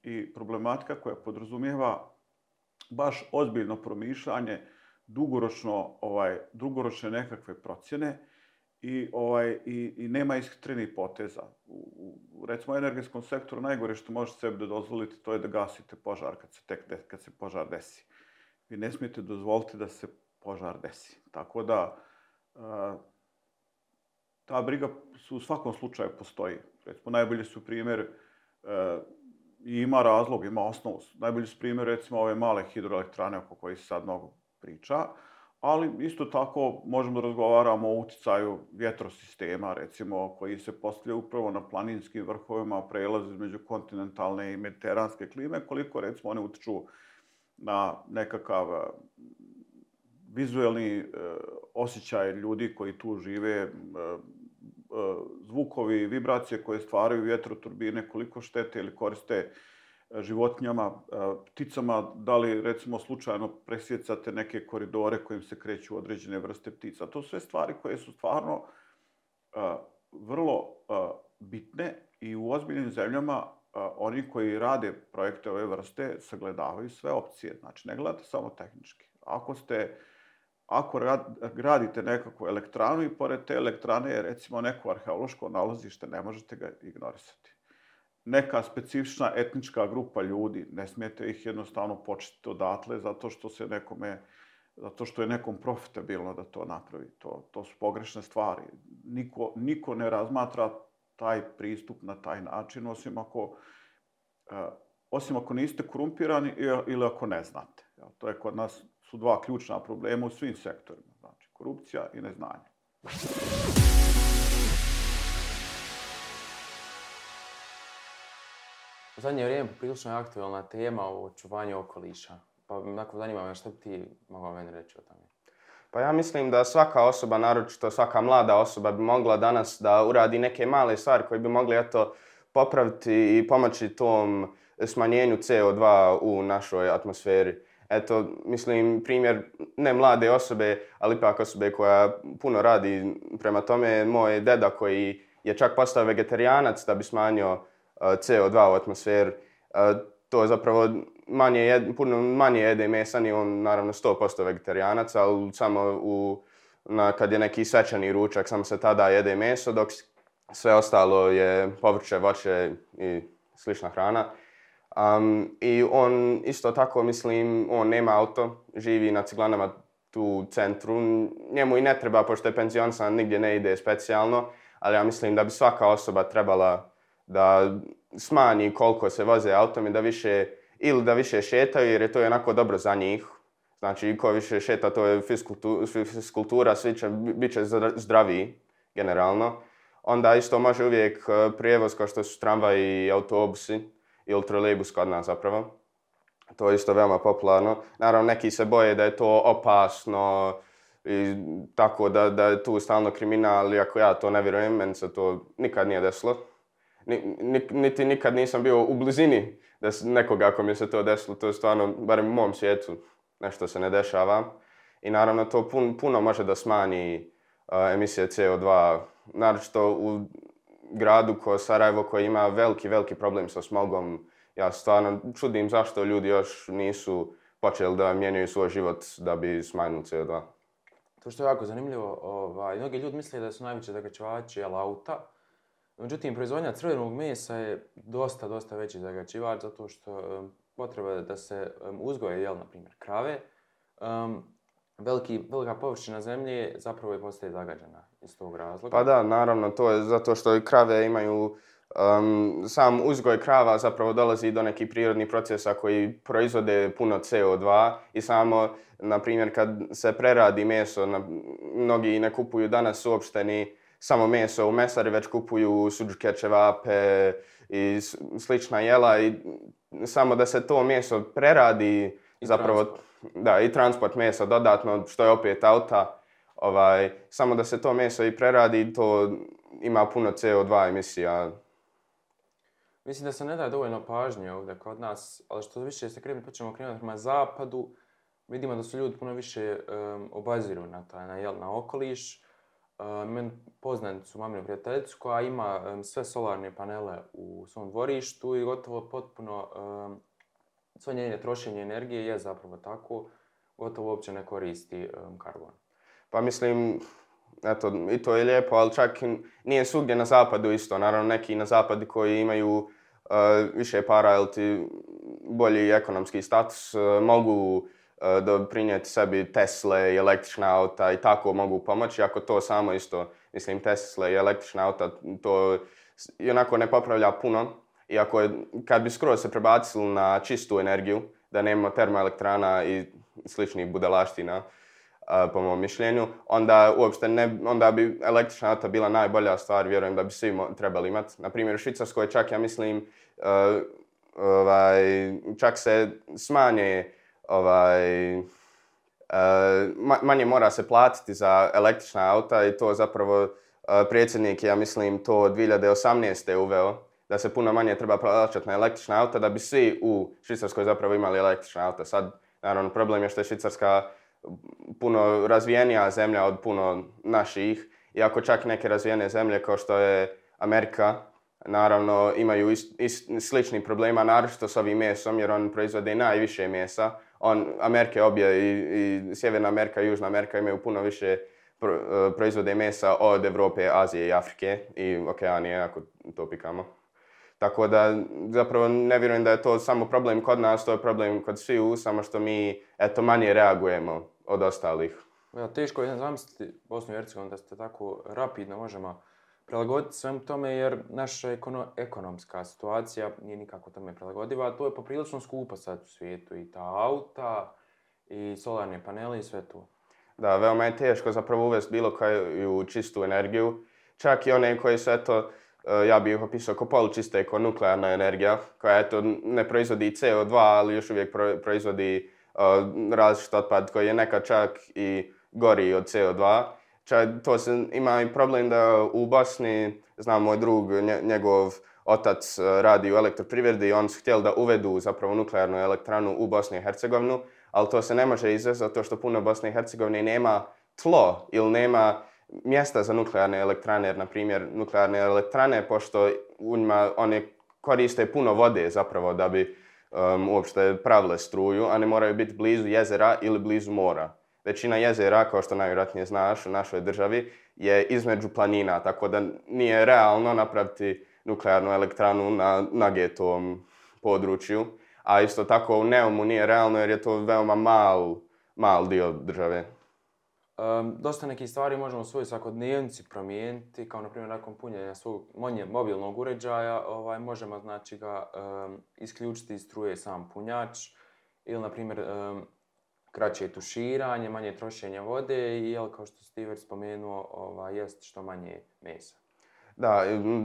i problematika koja podrazumijeva baš ozbiljno promišljanje, dugoročno, ovaj, dugoročne nekakve procjene i, ovaj, i, i nema ishtrenih poteza. U, u recimo energetskom sektoru najgore što možete sebi da dozvolite to je da gasite požar kad se, tek, kad se požar desi. Vi ne smijete dozvoliti da se požar desi. Tako da a, ta briga su u svakom slučaju postoji. Recimo najbolji su primjer a, i ima razlog, ima osnovu. Najbolji su primjer, recimo, ove male hidroelektrane oko kojih se sad mnogo priča, ali isto tako možemo da razgovaramo o utjecaju vjetrosistema, recimo, koji se postavljaju upravo na planinskim vrhovima, prelaze između kontinentalne i mediteranske klime, koliko, recimo, one utječu na nekakav vizuelni osjećaj ljudi koji tu žive, zvukovi, vibracije koje stvaraju vjetroturbine, koliko štete ili koriste životinjama, pticama, da li recimo slučajno presjecate neke koridore kojim se kreću određene vrste ptica. To su sve stvari koje su stvarno vrlo bitne i u ozbiljnim zemljama oni koji rade projekte ove vrste sagledavaju sve opcije. Znači ne gledate samo tehnički. Ako ste Ako gradite nekakvu elektranu i pored te elektrane je recimo neko arheološko nalazište, ne možete ga ignorisati. Neka specifična etnička grupa ljudi, ne smijete ih jednostavno početi odatle zato što se nekome, zato što je nekom profitabilno da to napravi. To, to su pogrešne stvari. Niko, niko ne razmatra taj pristup na taj način, osim ako, uh, osim ako niste korumpirani ili ako ne znate. To je kod nas su dva ključna problema u svim sektorima. Znači, korupcija i neznanje. U zadnje vrijeme prilično je aktualna tema o očuvanju okoliša. Pa onako zanima me što bi ti mogao meni reći o tome. Pa ja mislim da svaka osoba, naročito svaka mlada osoba, bi mogla danas da uradi neke male stvari koje bi mogli eto, popraviti i pomoći tom smanjenju C O dva u našoj atmosferi. Eto, mislim, primjer ne mlade osobe, ali ipak osobe koja puno radi prema tome. Moj deda koji je čak postao vegetarijanac da bi smanjio uh, C O dva u atmosferi. Uh, to je zapravo manje, jed, puno manje jede mesa, ni on naravno sto posto vegetarijanac, ali samo u, na, kad je neki svečani ručak, samo se tada jede meso, dok sve ostalo je povrće, voće i slična hrana. Um, I on isto tako, mislim, on nema auto, živi na Ciglanama tu u centru. Njemu i ne treba, pošto je penzionisan, nigdje ne ide specijalno. ali ja mislim da bi svaka osoba trebala da smanji koliko se voze autom i da više, ili da više šetaju jer je to onako dobro za njih. Znači, ko više šeta, to je fiskultura, svi će, bit će zdraviji, generalno. Onda isto može uvijek prijevoz kao što su tramvaji i autobusi ili trolejbus kod nas zapravo. To je isto veoma popularno. Naravno, neki se boje da je to opasno i tako da, da je tu stalno kriminal, iako ja to ne vjerujem, meni se to nikad nije desilo. Niti nikad nisam bio u blizini da nekoga ako mi se to desilo, to je stvarno, barem u mom svijetu, nešto se ne dešava. I naravno to pun, puno može da smanji uh, emisije C O dva, naročito u gradu kao Sarajevo koji ima veliki, veliki problem sa smogom. Ja stvarno čudim zašto ljudi još nisu počeli da mijenjaju svoj život da bi smanjili C O dva. To što je jako zanimljivo, ovaj, mnogi ljudi misle da su najveći zagađivači auta. Međutim, proizvodnja crvenog mesa je dosta, dosta veći zagađivač zato što um, potreba da se um, uzgoje, jel, na primjer, krave. Um, veliki, velika površina zemlje zapravo je postaje zagađena iz tog razloga. Pa da, naravno, to je zato što i krave imaju, um, sam uzgoj krava zapravo dolazi do nekih prirodnih procesa koji proizvode puno C O dva i samo, na primjer, kad se preradi meso, na, mnogi ne kupuju danas uopšte ni samo meso u mesari, već kupuju suđuke, ćevape i slična jela i samo da se to meso preradi I zapravo transport. Da, i transport mesa dodatno, što je opet auta, ovaj, samo da se to meso i preradi, to ima puno C O dva emisija. Mislim da se ne daje dovoljno pažnje ovdje kod nas, ali što više se krenemo, počnemo krenuti prema zapadu, vidimo da su ljudi puno više um, obaziru na taj, na, jel, na okoliš. Uh, meni poznanicu su maminu prijateljicu koja ima um, sve solarne panele u svom dvorištu i gotovo potpuno um, sve njene trošenje energije je zapravo tako, gotovo uopće ne koristi um, karbon. Pa mislim, eto, i to je lijepo, ali čak nije svugdje na zapadu isto. Naravno, neki na zapadu koji imaju uh, više para ili ti bolji ekonomski status uh, mogu doprinijeti sebi Tesle i električna auta i tako mogu pomoći. Ako to samo isto, mislim, Tesla i električna auta, to i onako ne popravlja puno. I ako je, kad bi skroz se prebacili na čistu energiju, da nema termoelektrana i sličnih budalaština, po mom mišljenju, onda uopšte ne, onda bi električna auta bila najbolja stvar, vjerujem da bi svi mo- trebali imati. Na primjer, u Švicarskoj čak, ja mislim, uh, ovaj, čak se smanje Ovaj, uh, manje mora se platiti za električna auta i to zapravo uh, predsjednik, ja mislim, to dvije hiljade osamnaeste uveo, da se puno manje treba plaćati na električna auta, da bi svi u Švicarskoj zapravo imali električna auta. Sad, naravno, problem je što je Švicarska puno razvijenija zemlja od puno naših, iako čak neke razvijene zemlje kao što je Amerika, naravno, imaju ist, ist, slični problema, naročito s ovim mesom, jer on proizvode najviše mesa. On, Amerike obje, i, i Sjeverna Amerika i Južna Amerika imaju puno više pro, proizvode mesa od Evrope, Azije i Afrike i Okeanije, ako to pikamo. Tako da, zapravo, ne vjerujem da je to samo problem kod nas, to je problem kod sviju, samo što mi, eto, manje reagujemo od ostalih. Ja, teško je zamisliti Bosnu i Hercegovinu da ste tako rapidno možemo prilagoditi svemu tome, jer naša ekono, ekonomska situacija nije nikako tome prilagodiva. To je poprilično skupo sad u svijetu, i ta auta, i solarne panele i sve to. Da, veoma je teško zapravo uvesti bilo koju čistu energiju. Čak i one koje su, eto, ja bih ih opisao kao polučiste, kao nuklearna energija, koja, eto, ne proizvodi C O dva, ali još uvijek proizvodi uh, različit otpad koji je nekad čak i gori od C O dva. Čak to se, ima i problem da u Bosni, znam moj drug, njegov otac radi u elektroprivredi i oni su htjeli da uvedu zapravo nuklearnu elektranu u Bosni i Hercegovinu, ali to se ne može izvesti zato što puno Bosne i Hercegovine nema tlo ili nema mjesta za nuklearne elektrane, jer, na primjer, nuklearne elektrane, pošto u njima one koriste puno vode zapravo da bi um, uopšte pravile struju, a ne moraju biti blizu jezera ili blizu mora. Većina jezera, kao što najvjerojatnije znaš, u našoj državi je između planina, tako da nije realno napraviti nuklearnu elektranu na nagetovom području. A isto tako u Neumu nije realno jer je to veoma mal, mal dio države. Um, dosta nekih stvari možemo u svojoj svakodnevnici promijeniti, kao na primjer nakon punjenja svog mobilnog uređaja, ovaj, možemo znači ga um, isključiti iz struje sam punjač ili na primjer um, kraće tuširanje, manje trošenje vode i jel, kao što ste već spomenuo, ovaj, jest što manje mesa. Da,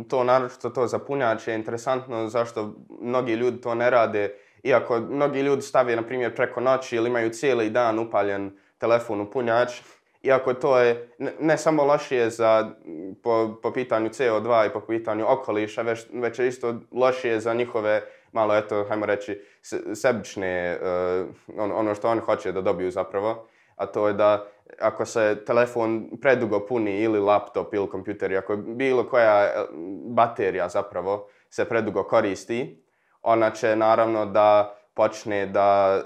to naročito to za punjač je interesantno zašto mnogi ljudi to ne rade, iako mnogi ljudi stave na primjer preko noći ili imaju cijeli dan upaljen telefon u punjač, iako to je ne, ne samo lošije za, po, po pitanju C O dva i po pitanju okoliša, već, već je isto lošije za njihove, malo eto, hajmo reći, sebične, uh, on, ono što oni hoće da dobiju zapravo, a to je da ako se telefon predugo puni ili laptop ili kompjuter, ako bilo koja baterija zapravo se predugo koristi, ona će naravno da počne da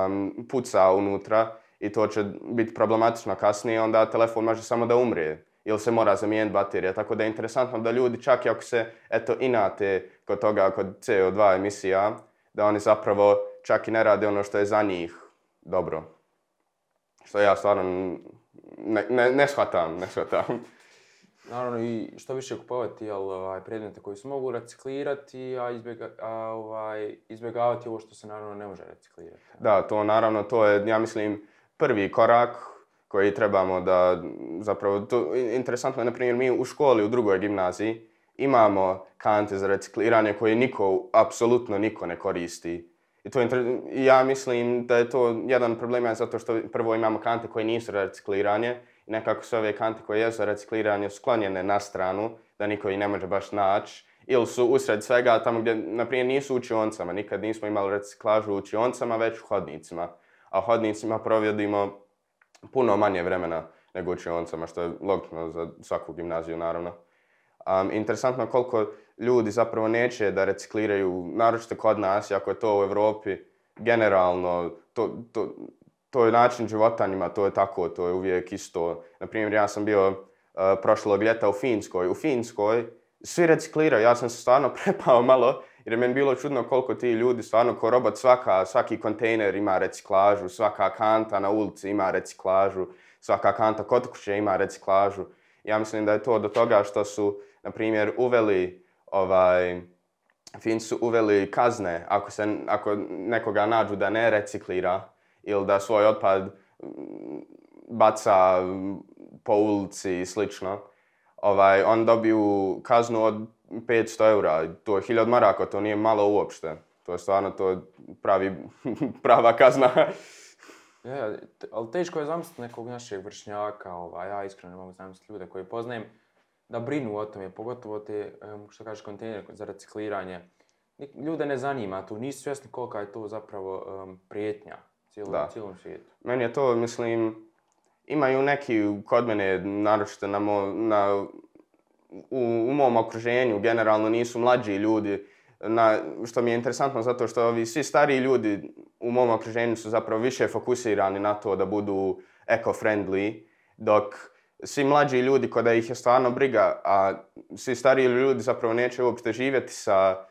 um, puca unutra i to će biti problematično kasnije, onda telefon može samo da umre ili se mora zamijeniti baterija. Tako da je interesantno da ljudi čak i ako se eto, inate kod toga, kod C O dva emisija, da oni zapravo čak i ne rade ono što je za njih dobro. Što ja stvarno ne, ne, ne shvatam, ne shvatam. Naravno i što više kupovati jel, ovaj, predmete koji se mogu reciklirati, a, izbjega, a ovaj, izbjegavati ovo što se naravno ne može reciklirati. Da, to naravno, to je, ja mislim, prvi korak koji trebamo da, zapravo, to, interesantno je, na primjer, mi u školi, u drugoj gimnaziji, imamo kante za recikliranje koje niko, apsolutno niko ne koristi. I to je, ja mislim da je to jedan problem zato što prvo imamo kante koje nisu za recikliranje i nekako su ove kante koje jesu za recikliranje sklonjene na stranu, da niko ih ne može baš naći. Ili su usred svega tamo gdje, na primjer, nisu u učionicama. Nikad nismo imali reciklažu u učionicama, već u hodnicima. A u hodnicima provodimo puno manje vremena nego u učionicama, što je logično za svaku gimnaziju, naravno. Um, interesantno koliko ljudi zapravo neće da recikliraju, naročito kod nas, ako je to u Europi, generalno, to, to, to je način života njima, to je tako, to je uvijek isto. Naprimjer, ja sam bio uh, prošlog ljeta u Finskoj. U Finskoj svi recikliraju, ja sam se stvarno prepao malo, jer je meni bilo čudno koliko ti ljudi stvarno ko robot, svaka, svaki kontejner ima reciklažu, svaka kanta na ulici ima reciklažu, svaka kanta kod kuće ima reciklažu. Ja mislim da je to do toga što su, na primjer, uveli, ovaj, Finci su uveli kazne ako, se, ako nekoga nađu da ne reciklira ili da svoj otpad baca po ulici i slično. Ovaj, on dobiju kaznu od petsto eura, to je hiljadu maraka, to nije malo uopšte. To je stvarno to pravi, prava kazna. Ja, ali teško je zamisliti nekog našeg vršnjaka, ovaj, ja iskreno ne mogu zamisliti ljude koje poznajem, da brinu o tome, pogotovo te, što kažeš, kontejnere za recikliranje. Ljude ne zanima tu, nisu svjesni kolika je to zapravo um, prijetnja cijelom, cijelom svijetu. Meni je to, mislim, imaju neki kod mene, naročito na, mo, na u, u mom okruženju, generalno nisu mlađi ljudi, na, što mi je interesantno zato što ovi svi stariji ljudi u mom okruženju su zapravo više fokusirani na to da budu eco-friendly, dok svi mlađi ljudi kod da ih je stvarno briga, a svi stariji ljudi zapravo neće uopšte živjeti sa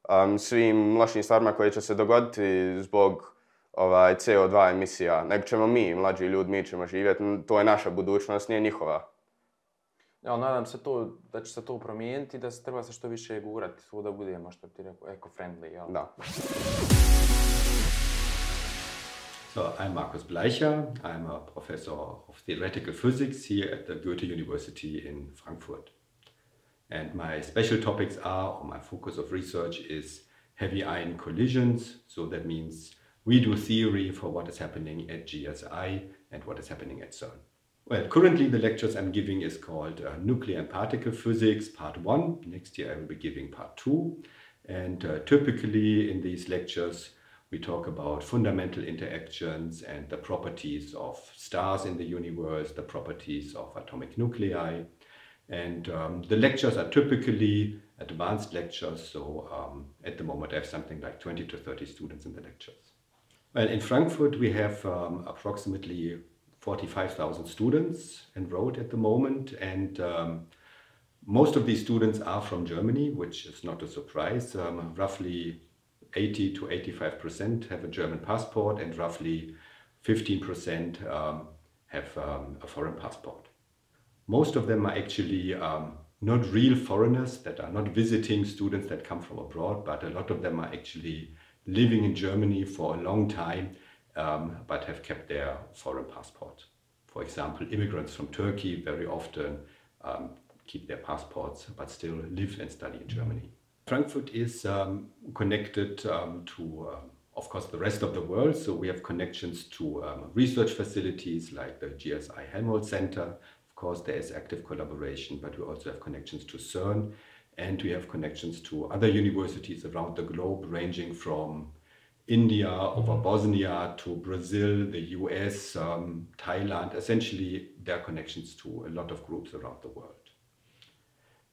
um, svim lošim stvarima koje će se dogoditi zbog ovaj, C O dva emisija. Nego ćemo mi, mlađi ljudi, mi ćemo živjeti, to je naša budućnost, nije njihova. Ja, nadam se to, da će se to promijeniti, da se treba se što više gurati, svo da budemo, što ti rekao, eco-friendly. Ja. Da. So, I'm Markus Bleicher. I'm a professor of theoretical physics here at the Goethe University in Frankfurt. And my special topics are, or my focus of research is heavy ion collisions. So that means we do theory for what is happening at G S I and what is happening at CERN. Well, currently the lectures I'm giving is called uh, Nuclear and Particle Physics, Part one. Next year I will be giving Part two. And uh, typically in these lectures we talk about fundamental interactions and the properties of stars in the universe, the properties of atomic nuclei. And um, the lectures are typically advanced lectures, so um, at the moment I have something like twenty to thirty students in the lectures. Well, in Frankfurt we have um, approximately forty-five thousand students enrolled at the moment, and um, most of these students are from Germany, which is not a surprise. Um, roughly eighty to eighty-five percent have a German passport, and roughly fifteen percent um, have um, a foreign passport. Most of them are actually um, not real foreigners that are not visiting students that come from abroad, but a lot of them are actually living in Germany for a long time, um, but have kept their foreign passport. For example, immigrants from Turkey very often um, keep their passports, but still live and study in Germany. Frankfurt is um, connected um, to, um, of course, the rest of the world. So we have connections to um, research facilities like the G S I Helmholtz Center. Of course, there is active collaboration, but we also have connections to CERN, and we have connections to other universities around the globe, ranging from India over Bosnia to Brazil, the U S, um, Thailand. Essentially, there are connections to a lot of groups around the world.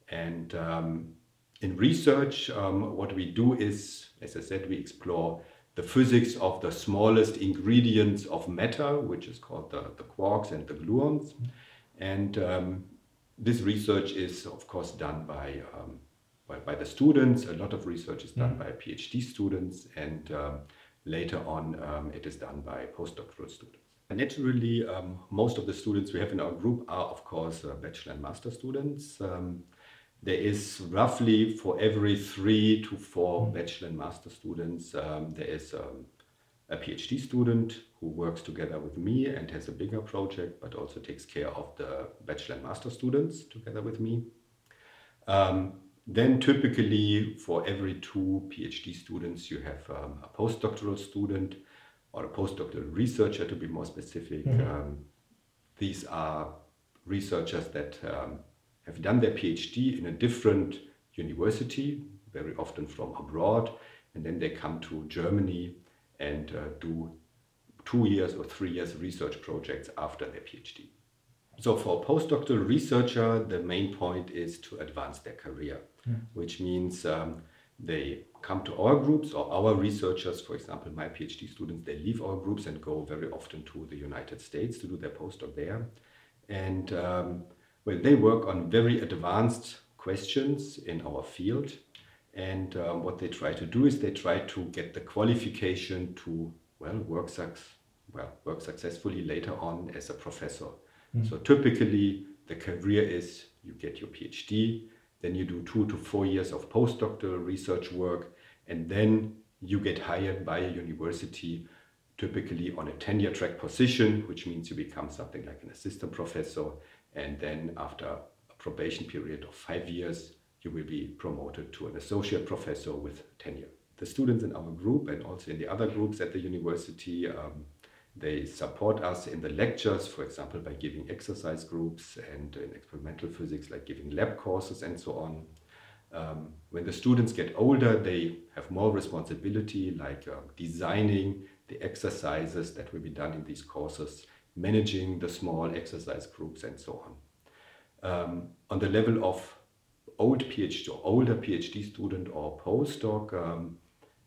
And um, in research, um, what we do is, as I said, we explore the physics of the smallest ingredients of matter, which is called the, the quarks and the gluons. And um, this research is, of course, done by, um, by, by the students. A lot of research is done by PhD students, and um, later on um, it is done by postdoctoral students. Naturally, um, most of the students we have in our group are, of course, uh, bachelor and master students. Um, There is roughly for every three to four bachelor and master students, um, there is um, a PhD student who works together with me and has a bigger project, but also takes care of the bachelor and master students together with me. Um, then typically for every two PhD students, you have um, a postdoctoral student or a postdoctoral researcher, to be more specific. Mm-hmm. Um, these are researchers that um, have done their PhD in a different university, very often from abroad, and then they come to Germany and uh, do two years or three years research projects after their PhD. So for a postdoctoral researcher, the main point is to advance their career, mm. which means um, they come to our groups, or our researchers, for example, my PhD students, they leave our groups and go very often to the United States to do their postdoc there. And um, Well, they work on very advanced questions in our field, and um, what they try to do is they try to get the qualification to well work suc- well work successfully later on as a professor. Mm. So typically, the career is you get your PhD, then you do two to four years of postdoctoral research work, and then you get hired by a university, typically on a tenure track position, which means you become something like an assistant professor. And then after a probation period of five years, you will be promoted to an associate professor with tenure. The students in our group and also in the other groups at the university, um, they support us in the lectures, for example, by giving exercise groups, and in experimental physics, like giving lab courses and so on. Um, when the students get older, they have more responsibility, like uh, designing the exercises that will be done in these courses, managing the small exercise groups and so on. Um, on the level of old PhD or older PhD student or postdoc, um,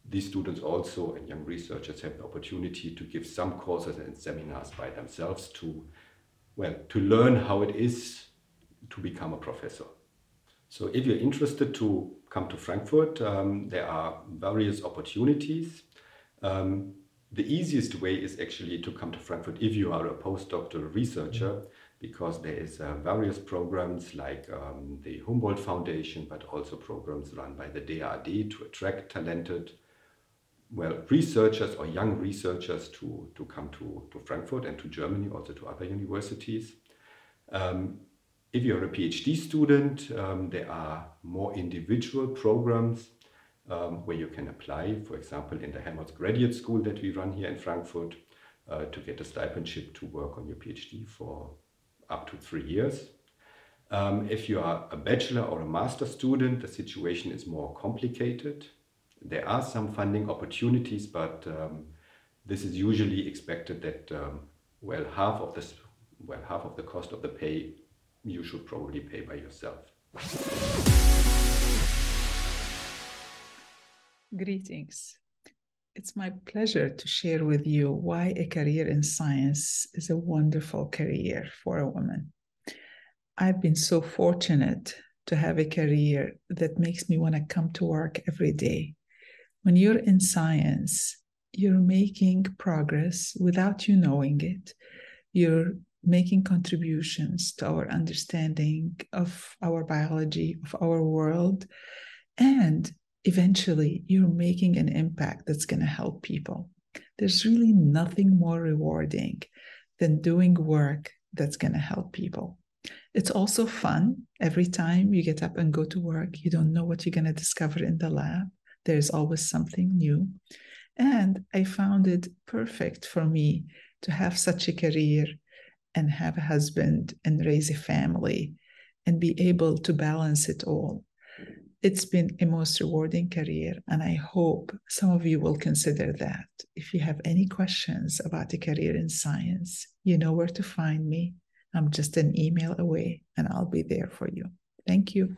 these students also and young researchers have the opportunity to give some courses and seminars by themselves to, well, to learn how it is to become a professor. So if you're interested to come to Frankfurt, um, there are various opportunities. Um, The easiest way is actually to come to Frankfurt if you are a postdoctoral researcher, because there is uh, various programs like um, the Humboldt Foundation, but also programs run by the D A R D to attract talented, well, researchers or young researchers to, to come to, to Frankfurt and to Germany, also to other universities. Um, if you're a PhD student, um, there are more individual programs Um, where you can apply, for example, in the Helmholtz Graduate School that we run here in Frankfurt, uh, to get a stipendship to work on your PhD for up to three years. Um, if you are a bachelor or a master student, the situation is more complicated. There are some funding opportunities, but um, this is usually expected that um, well, half of this, well, half of the cost of the pay you should probably pay by yourself. Greetings. It's my pleasure to share with you why a career in science is a wonderful career for a woman. I've been so fortunate to have a career that makes me want to come to work every day. When you're in science, you're making progress without you knowing it. You're making contributions to our understanding of our biology, of our world, and eventually you're making an impact that's going to help people. There's really nothing more rewarding than doing work that's going to help people. It's also fun. Every time you get up and go to work, you don't know what you're going to discover in the lab. There's always something new. And I found it perfect for me to have such a career and have a husband and raise a family and be able to balance it all. It's been a most rewarding career, and I hope some of you will consider that. If you have any questions about a career in science, you know where to find me. I'm just an email away, and I'll be there for you. Thank you.